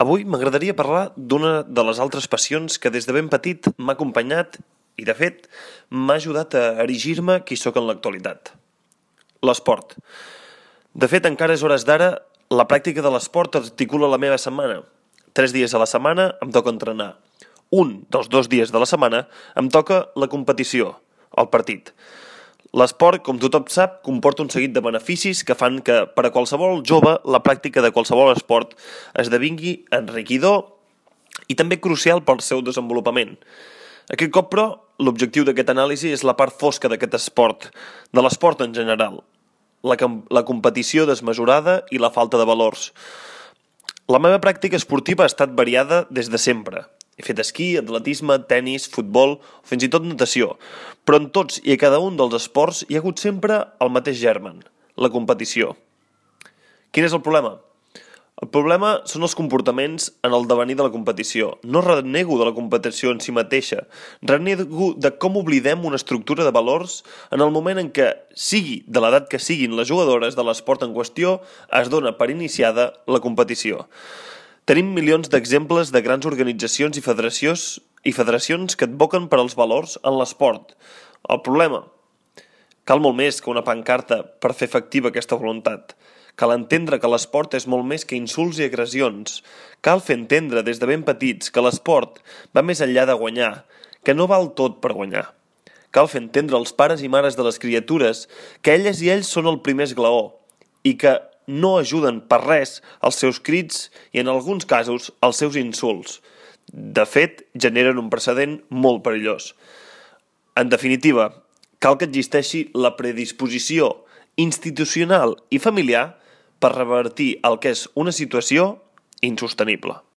Avui m'agradaria parlar d'una de les altres passions que des de ben petit m'ha acompanyat i, de fet, m'ha ajudat a erigir-me qui sóc en l'actualitat. L'esport. De fet, encara és hores d'ara, la pràctica de l'esport articula la meva setmana. 3 dies a la setmana em toca entrenar. Un dels 2 dies de la setmana em toca la competició, el partit. L'esport, com tothom sap, comporta un seguit de beneficis que fan que, per a qualsevol jove, la pràctica de qualsevol esport esdevingui enriquidor i també crucial pel seu desenvolupament. Aquest cop, però, l'objectiu d'aquest anàlisi és la part fosca d'aquest esport, de l'esport en general, la competició desmesurada i la falta de valors. La meva pràctica esportiva ha estat variada des de sempre. He fet esquí, atletisme, tenis, futbol o fins i tot natació, però en tots i a cada un dels esports hi ha hagut sempre el mateix germen, la competició. Quin és el problema? El problema són els comportaments en el devenir de la competició. No renego de la competició en si mateixa, renego de com oblidem una estructura de valors en el moment en què, sigui de l'edat que siguin les jugadores de l'esport en qüestió, es dona per iniciada la competició. Tenim milions d'exemples de grans organitzacions i federacions que advoquen per als valors en l'esport. El problema? Cal molt més que una pancarta per fer efectiva aquesta voluntat. Cal entendre que l'esport és molt més que insults i agressions. Cal fer entendre des de ben petits que l'esport va més enllà de guanyar, que no val tot per guanyar. Cal fer entendre als pares i mares de les criatures que elles i ells són el primer esglaó i que no ajuden per res els seus crits i, en alguns casos, els seus insults. De fet, generen un precedent molt perillós. En definitiva, cal que existeixi la predisposició institucional i familiar per revertir el que és una situació insostenible.